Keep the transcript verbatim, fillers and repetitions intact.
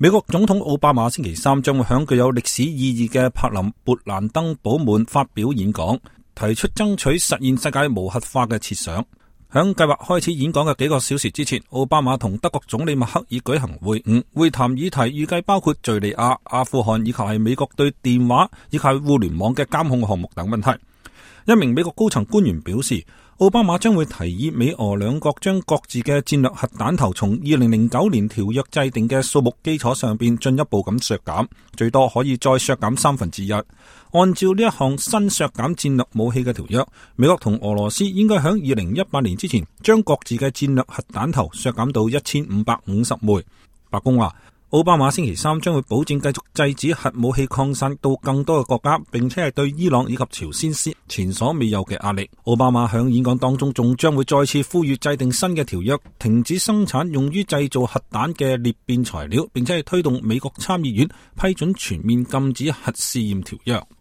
美國總統奧巴馬星期三將會響具有歷史意義嘅柏林勃蘭登堡門發表演講，提出爭取實現世界無核化嘅設想。響計劃開始演講嘅幾個小時之前，奧巴馬同德國總理默克爾舉行會晤，會談議題預計包括敘利亞、阿富汗以及係美國對電話以及互聯網嘅監控項目等問題。一名美國高層官員表示，奧巴馬將會提議美俄兩國將各自嘅戰略核彈頭從二零零九年條約制定嘅數目基礎上邊進一步咁削減，最多可以再削減三分之一。按照呢一項新削減戰略武器嘅條約，美國同俄羅斯應該喺二零一八年之前將各自嘅戰略核彈頭削減到一千五百五十枚。白宮話，奧巴馬星期三將會保證繼續制止核武器擴散到更多嘅國家，並且係對伊朗以及朝鮮施前所未有嘅壓力。奧巴馬響演講當中仲將會再次呼籲制定新嘅條約，停止生產用於製造核彈嘅裂變材料，並且係推動美國參議院批准全面禁止核試驗條約。